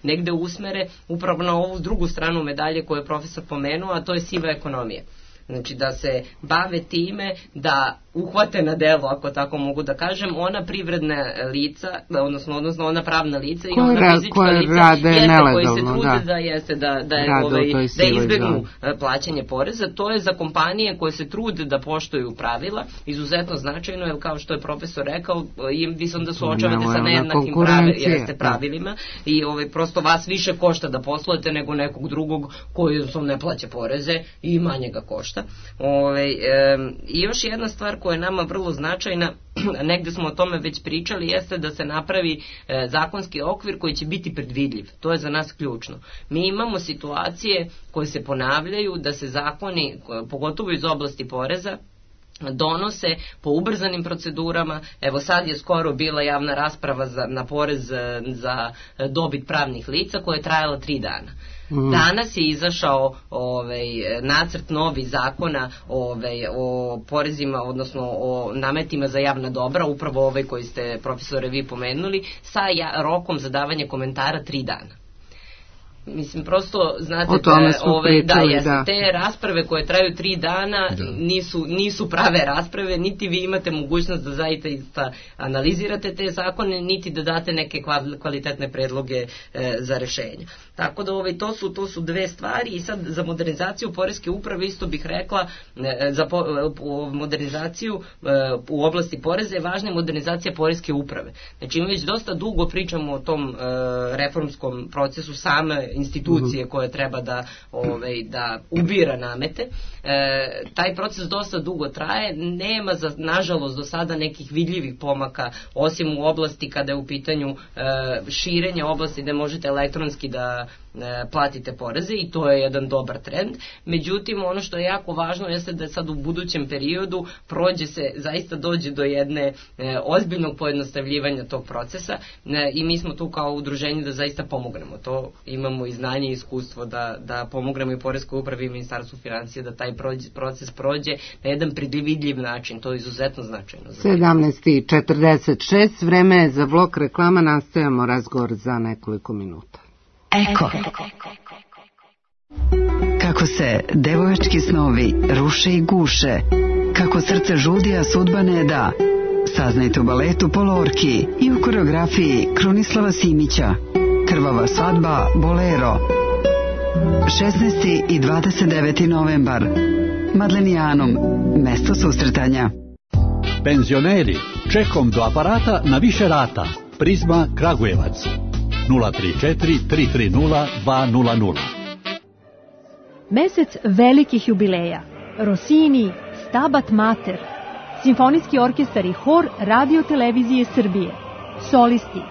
negde usmere upravo na ovu drugu stranu medalje koju je profesor pomenuo, a to je siva ekonomija. Znači da se bave time da uhvate na delo, ako tako mogu da kažem, ona privredna lica, odnosno ona pravna lica i ona fizička lica koji se trude da izbegnu plaćanje poreza. To je za kompanije koje se trude da poštuju pravila izuzetno značajno, jer kao što je profesor rekao, vi se onda suočavate sa nejednakim pravilima i prosto vas više košta da poslujete nego nekog drugog koji ne plaća poreze i manje ga košta. I još jedna stvar koja je nama vrlo značajna, negde smo o tome već pričali, jeste da se napravi zakonski okvir koji će biti predvidljiv. To je za nas ključno. Mi imamo situacije koje se ponavljaju da se zakoni, pogotovo iz oblasti poreza, donose po ubrzanim procedurama. Evo sad je skoro bila javna rasprava na porez za dobit pravnih lica koja je trajala 3 dana. Danas je izašao nacrt novi zakona o porezima, odnosno o nametima za javna dobra, upravo ovaj koji ste, profesore, vi pomenuli, sa rokom za davanje komentara 3 dana. Mislim, prosto, znate, te rasprave koje traju 3 dana nisu prave rasprave, niti vi imate mogućnost da zaista analizirate te zakone, niti da date neke kvalitetne predloge za rešenja. Tako da to su dve stvari. I sad za modernizaciju poreske uprave isto bih rekla, za modernizaciju u oblasti poreza je važna modernizacija poreske uprave. Znači, mi već dosta dugo pričamo o tom reformskom procesu same institucije koje treba da ubira namete. Taj proces dosta dugo traje, nema nažalost do sada nekih vidljivih pomaka, osim u oblasti kada je u pitanju širenja oblasti gde možete elektronski da platite poreze, i to je jedan dobar trend. Međutim, ono što je jako važno jeste da sad u budućem periodu zaista dođe do jedne ozbiljnog pojednostavljivanja tog procesa, i mi smo tu kao udruženje da zaista pomognemo. To imamo i znanje i iskustvo da pomognemo i poreskoj upravi i ministarstvu finansija da taj proces prođe na jedan predvidljiv način. To je izuzetno značajno. 17:46, vreme je za blok reklama, nastavljamo razgovor za nekoliko minuta. Eko. Kako se devojački snovi ruše i guše, kako srce žudi, a sudba ne da. Saznajte u baletu Polorki i u koreografiji Krunislava Simića. Krvava svadba Bolero. 16. i 29. novembar. Madlenijanom, mesto susretanja. Penzioneri, čekom do aparata na više rata. Prizma Kragujevac. 034 330 200. Mesec velikih jubileja. Rossini, Stabat Mater, Simfonijski orkestar i hor Radio Televizije Srbije. Solisti: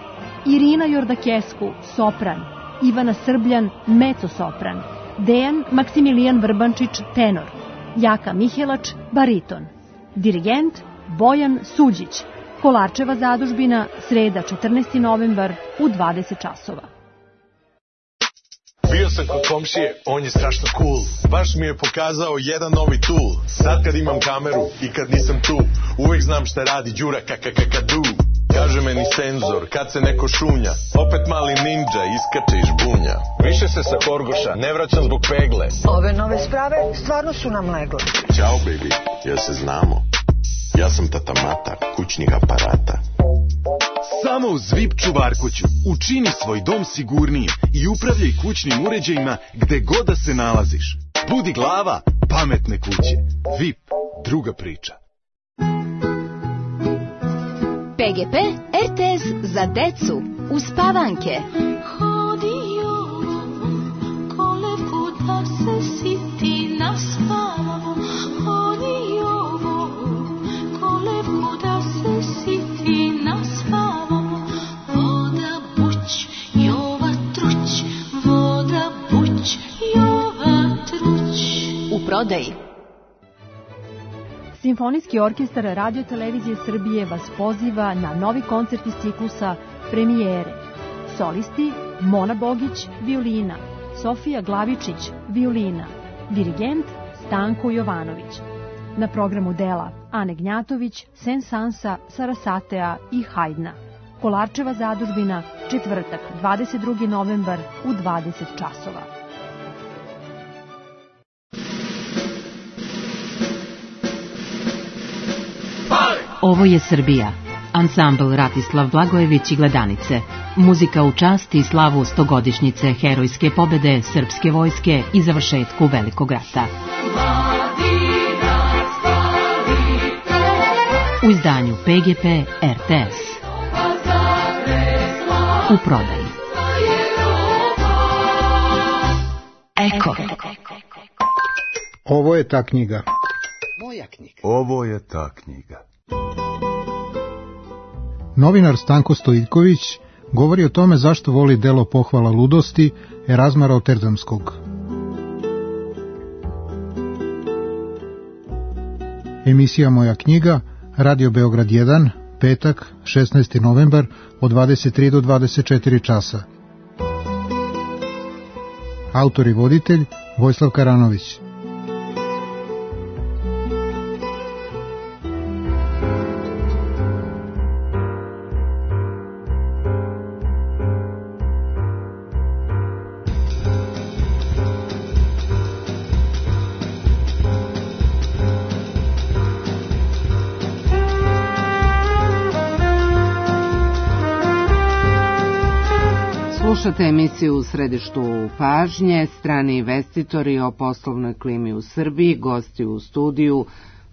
Irina Jordakesku, sopran; Ivana Srbljan, mezzo-sopran; Dejan Maksimilijan Vrbančić, tenor; Jaka Mihelač, bariton. Dirigent Bojan Suđić. Kolarčeva zadužbina, sreda 14. novembar u 20 časova. Bio sam kod komšije, on je strašno cool. Baš mi je pokazao jedan novi tool. Sad kad imam kameru i kad nisam tu, uvek znam šta radi Đura kakakakadu. Kaže meni senzor, kad se neko šunja, opet mali ninja iskače iz žbunja. Više se sa Korgoša ne vraćam zbog pegle. Ove nove sprave stvarno su nam legle. Ćao baby, jel se znamo? Ja sam tata Mata, kućnih aparata. Samo uz VIP čuvarkuću učini svoj dom sigurnijim i upravljaj kućnim uređajima gde god da se nalaziš. Budi glava pametne kuće. VIP, druga priča. PGP RTS za decu uz Pavanke. Hodio kolevku da se siti na spavu. Hodio kolevku da se siti na spavu. Voda buć, jova truć. Voda buć, jova truć. U prodaji. Simfonijski orkestar Radio Televizije Srbije vas poziva na novi koncert iz ciklusa Premijere. Solisti: Mona Bogić, violina; Sofija Glavičić, violina; dirigent Stanko Jovanović. Na programu dela Ane Gnjatović, Sensansa, Sarasatea i Hajdna. Kolarčeva zadužbina, četvrtak, 22. novembar u 20 časova. Ovo je Srbija. Ansambl Ratislav Blagojević i Gledanice. Muzika u čast i slavu 100-godišnjice herojske pobede srpske vojske i završetku Velikog rata. U izdanju PGP RTS. U prodaji. Eko. Ovo je ta knjiga. Moja knjiga. Ovo je ta knjiga. Novinar Stanko Stojiljković govori o tome zašto voli delo Pohvala ludosti Erazma Rotterdamskog. Emisija Moja knjiga, Radio Beograd 1, petak, 16. novembar, od 23 do 24 časa. Autor i voditelj Vojislav Karanović. Slušate emisiju U središtu pažnje, strani investitori o poslovnoj klimi u Srbiji, gosti u studiju,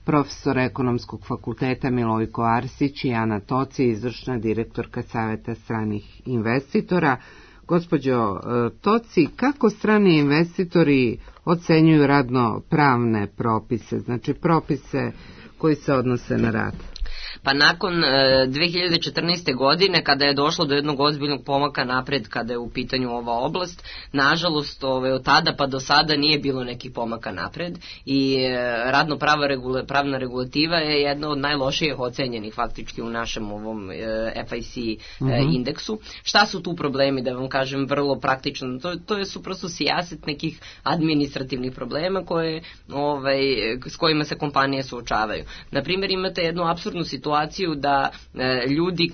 profesor Ekonomskog fakulteta Milojko Arsić i Ana Toci, izvršna direktorka Saveta stranih investitora. Gospođo Toci, kako strani investitori ocenjuju radno-pravne propise, znači propise koji se odnose na rad? Pa nakon 2014. godine, kada je došlo do jednog ozbiljnog pomaka napred kada je u pitanju ova oblast, nažalost od tada pa do sada nije bilo nekih pomaka napred i radno-pravna regulativa je jedna od najlošijih ocenjenih faktički u našem ovom FIC indeksu. Šta su tu problemi, da vam kažem vrlo praktično? To su prosto sijaset nekih administrativnih problema s kojima se kompanije suočavaju. Naprimjer, imate jednu apsurdnu situaciju da ljudi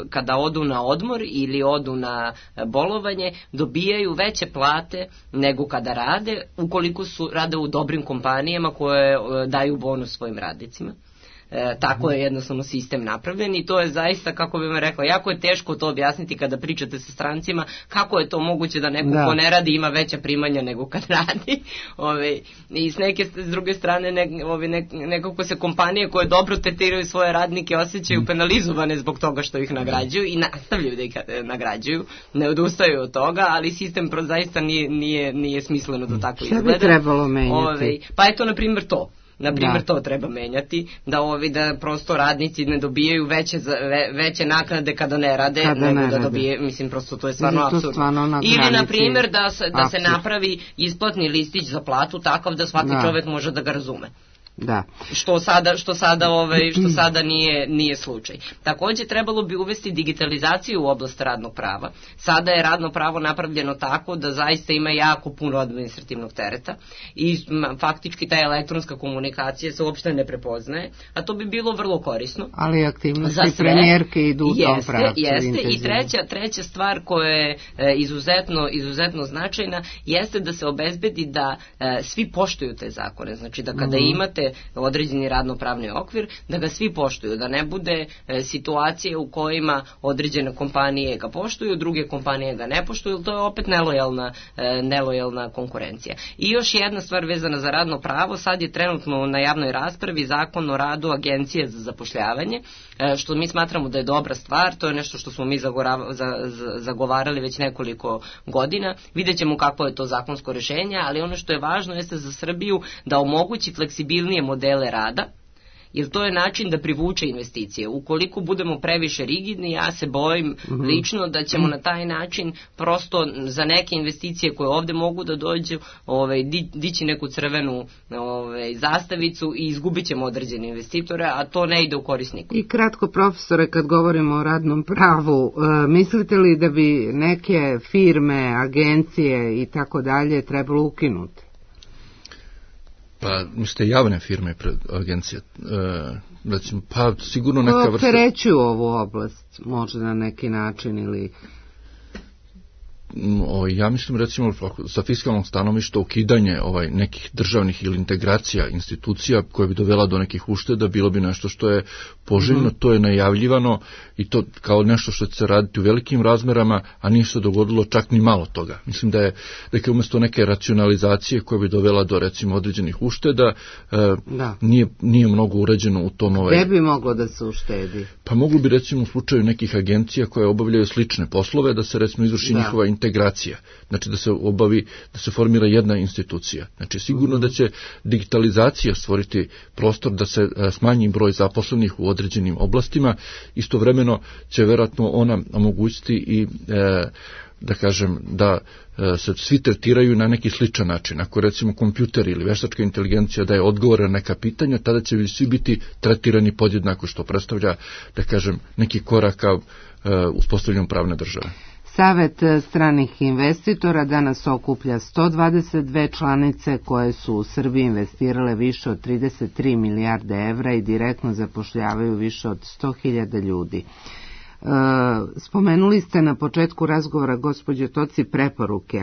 kada odu na odmor ili odu na bolovanje dobijaju veće plate nego kada rade, ukoliko rade u dobrim kompanijama koje daju bonus svojim radnicima. Tako je jednostavno sistem napravljen i to je zaista, kako bih vam rekla, jako je teško to objasniti kada pričate sa strancima, kako je to moguće da neko ko ne radi ima veća primanja nego kad radi. I s druge strane nekako se kompanije koje dobro tretiraju svoje radnike osjećaju penalizovane zbog toga što ih nagrađuju i nastavljaju da ih nagrađuju, ne odustaju od toga, ali sistem zaista nije smisleno da tako izgleda. Šta bi trebalo menjati? Pa je to na primjer to. To treba menjati, da prosto radnici ne dobijaju veće naknade kada ne rade, nego da dobije, mislim, prosto to je stvarno apsurdno. Ili, na primjer, da se napravi isplatni listić za platu takav da svaki čovjek može da ga razume. Da. Što sada nije slučaj. Također trebalo bi uvesti digitalizaciju u oblast radnog prava. Sada je radno pravo napravljeno tako da zaista ima jako puno administrativnog tereta i faktički ta elektronska komunikacija se uopšte ne prepoznaje, a to bi bilo vrlo korisno. Ali aktivnosti premijerke idu u tom pravcu. Jeste. I treća stvar koja je izuzetno značajna jeste da se obezbedi da svi poštuju te zakone. Znači da kada imate određeni radno-pravni okvir, da ga svi poštuju, da ne bude situacije u kojima određene kompanije ga poštuju, druge kompanije ga ne poštuju, to je opet nelojalna konkurencija. I još jedna stvar vezana za radno pravo, sad je trenutno na javnoj raspravi Zakon o radu Agencije za zapošljavanje, što mi smatramo da je dobra stvar, to je nešto što smo mi zagovarali već nekoliko godina, vidjet ćemo kako je to zakonsko rješenje, ali ono što je važno jeste za Srbiju da omogući fleksibilnije modele rada, jer to je način da privuče investicije. Ukoliko budemo previše rigidni, ja se bojim lično da ćemo na taj način prosto za neke investicije koje ovdje mogu da dođu dići neku crvenu zastavicu i izgubit ćemo određene investitore, a to ne ide u korist nikom. I kratko, profesore, kad govorimo o radnom pravu, mislite li da bi neke firme, agencije i tako dalje trebalo ukinuti? Pa, mislite javne firme pred agencije, recimo, pa sigurno neka vrsta... Opterećuju ovu oblast, možda na neki način ili... Ja mislim, recimo, sa fiskalnog stanovišta ukidanje nekih državnih ili integracija institucija koje bi dovela do nekih ušteda bilo bi nešto što je poželjno, to je najavljivano i to kao nešto što će se raditi u velikim razmerama, a nije se dogodilo čak ni malo toga. Mislim da je umjesto neke racionalizacije koja bi dovela do, recimo, određenih ušteda, nije mnogo urađeno u tom... Gde bi moglo da se uštedi? Pa moglo bi, recimo, u slučaju nekih agencija koje obavljaju slične poslove, da se, recimo, izvrši njihova integracija integracija, znači da se formira jedna institucija. Znači sigurno da će digitalizacija stvoriti prostor da se smanji broj zaposlenih u određenim oblastima, istovremeno će vjerojatno ona omogućiti i da kažem da se svi tretiraju na neki sličan način. Ako recimo kompjuter ili veštačka inteligencija daje odgovore na neka pitanja, tada će svi biti tretirani podjednako, što predstavlja, da kažem, neki korak ka uspostavljanju pravne države. Savet stranih investitora danas okuplja 122 članice koje su u Srbiji investirale više od 33 milijarde evra i direktno zapošljavaju više od 100.000 ljudi. Spomenuli ste na početku razgovora, gospođo Toci, preporuke.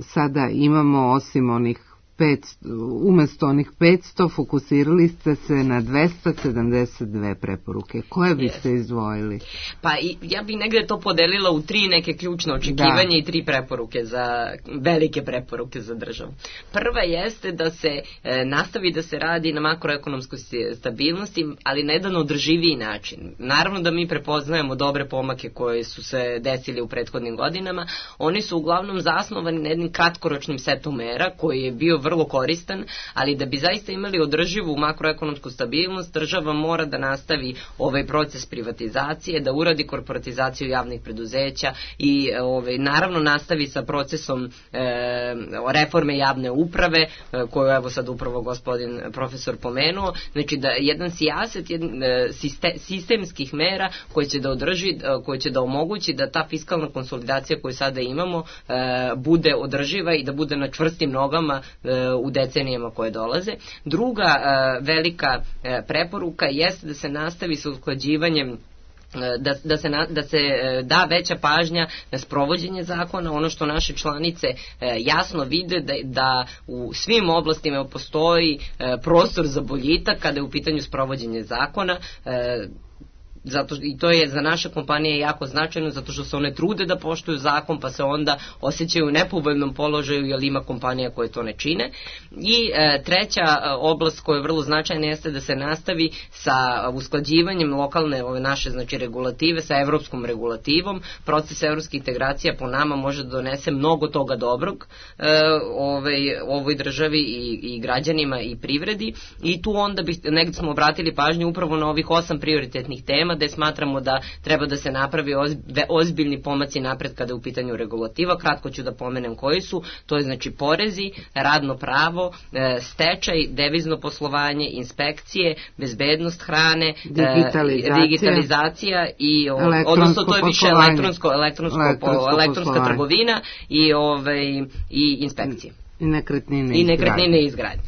Sada imamo, osim onih umjesto onih 500, fokusirali ste se na 272 preporuke. Koje biste izdvojili? Pa ja bih negde to podelila u 3 neke ključne očekivanja i 3 preporuke velike preporuke za državu. Prva jeste da se nastavi da se radi na makroekonomskoj stabilnosti, ali na jedan održiviji način. Naravno da mi prepoznajemo dobre pomake koje su se desili u prethodnim godinama. Oni su uglavnom zasnovani na jednim kratkoročnim setom mera koji je bio vrlo koristan, ali da bi zaista imali održivu makroekonomsku stabilnost, država mora da nastavi ovaj proces privatizacije, da uradi korporatizaciju javnih preduzeća i naravno nastavi sa procesom reforme javne uprave, koju evo sad upravo gospodin profesor pomenuo, znači da jedan sijaset sistemskih mera koji će da omogući da ta fiskalna konsolidacija koju sada imamo bude održiva i da bude na čvrstim nogama u decenijama koje dolaze. Druga velika preporuka jeste da se nastavi sa usklađivanjem, da se da veća pažnja na sprovođenje zakona. Ono što naše članice jasno vide da u svim oblastima postoji prostor za boljitak kada je u pitanju sprovođenje zakona. I to je za naše kompanije jako značajno, zato što se one trude da poštuju zakon, pa se onda osjećaju u nepovoljnom položaju jer ima kompanija koje to ne čine. I treća oblast koja je vrlo značajna jeste da se nastavi sa usklađivanjem lokalne naše regulative sa evropskom regulativom. Proces evropskih integracija po nama može da donese mnogo toga dobrog ovoj državi i građanima i privredi, i tu onda negdje smo obratili pažnju upravo na ovih 8 prioritetnih tema gde smatramo da treba da se napravi ozbiljni pomaci napred kada je u pitanju regulativa. Kratko ću da pomenem koji su. To je znači porezi, radno pravo, stečaj, devizno poslovanje, inspekcije, bezbednost hrane, digitalizacija i odnosno to je više elektronska trgovina i inspekcije. I nekretnine i izgradnje.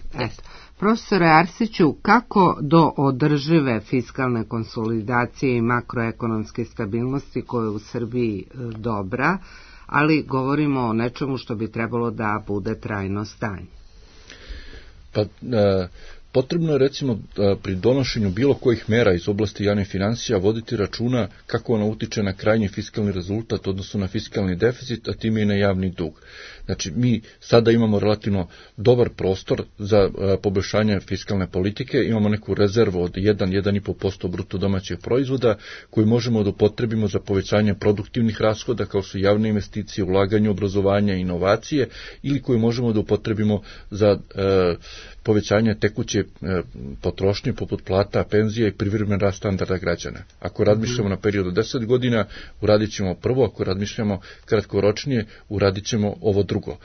Profesore Arsiću, kako do održive fiskalne konsolidacije i makroekonomske stabilnosti koja je u Srbiji dobra, ali govorimo o nečemu što bi trebalo da bude trajno stanje? Pa, potrebno je recimo pri donošenju bilo kojih mera iz oblasti javnih financija voditi računa kako ona utiče na krajnji fiskalni rezultat, odnosno na fiskalni deficit, a time i na javni dug. Znači, mi sada imamo relativno dobar prostor za poboljšanje fiskalne politike, imamo neku rezervu od 1-1,5% bruto domaćeg proizvoda koju možemo da upotrebimo za povećanje produktivnih rashoda kao su javne investicije, ulaganje, obrazovanje, inovacije, ili koju možemo da upotrebimo za povećanje tekuće potrošnje poput plata, penzija i privremen rast standarda građana. Ako razmišljamo na period od 10 godina, uradit ćemo prvo, ako razmišljamo kratkoročnije, uradit ćemo ovo drugo.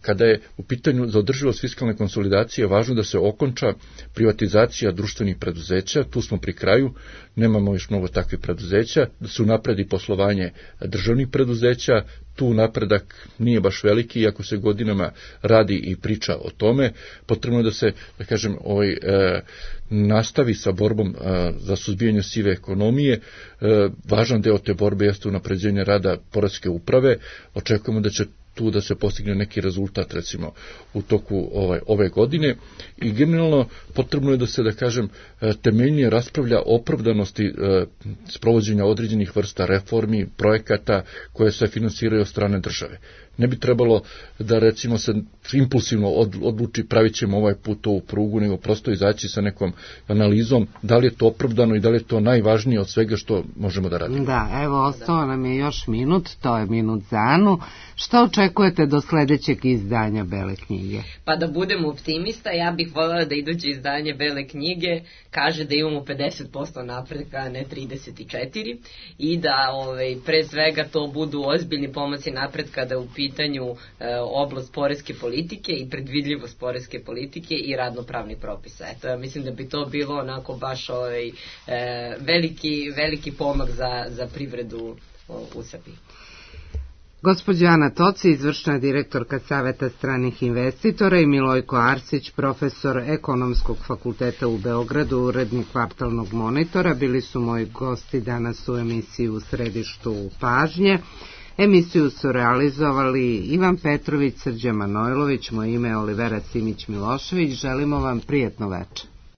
Kada je u pitanju za održivost fiskalne konsolidacije važno da se okonča privatizacija društvenih preduzeća, tu smo pri kraju, nemamo još mnogo takvih preduzeća, da se unapredi poslovanje državnih preduzeća, tu napredak nije baš veliki, iako se godinama radi i priča o tome. Potrebno je da se, da kažem, nastavi sa borbom za suzbijanje sive ekonomije. Važan deo te borbe jeste unapređenje rada poreske uprave. Očekujemo da će tu da se postigne neki rezultat, recimo, u toku ove godine, i generalno potrebno je da se, da kažem, temeljnije raspravlja o opravdanosti sprovođenja određenih vrsta reformi, projekata koje se finansiraju od strane države. Ne bi trebalo da recimo se impulsivno odluči pravit ćemo ovaj put ovu prugu, nego prosto izaći sa nekom analizom da li je to opravdano i da li je to najvažnije od svega što možemo da radimo. Da, evo, ostao nam je još minut, to je minut za Anu. Šta očekujete do sledećeg izdanja Bele knjige? Pa da budem optimista, ja bih voljela da iduće izdanje Bele knjige kaže da imamo 50% napretka, a ne 34, i da pre svega to budu ozbiljni pomaci napretka da u pitanju oblast poreske politike i predvidljivost poreske politike i radnopravnih propisa. Eto, ja mislim da bi to bilo onako baš veliki pomak za privredu u Srbiji. Gospođa Ana Toci, izvršna direktorka Saveta stranih investitora, i Milojko Arsić, profesor Ekonomskog fakulteta u Beogradu, urednik Kvartalnog monitora, bili su moji gosti danas u emisiji U središtu pažnje. Emisiju su realizovali Ivan Petrović, Srđan Manojlović, moje ime je Olivera Simić-Milošević. Želimo vam prijatno večer.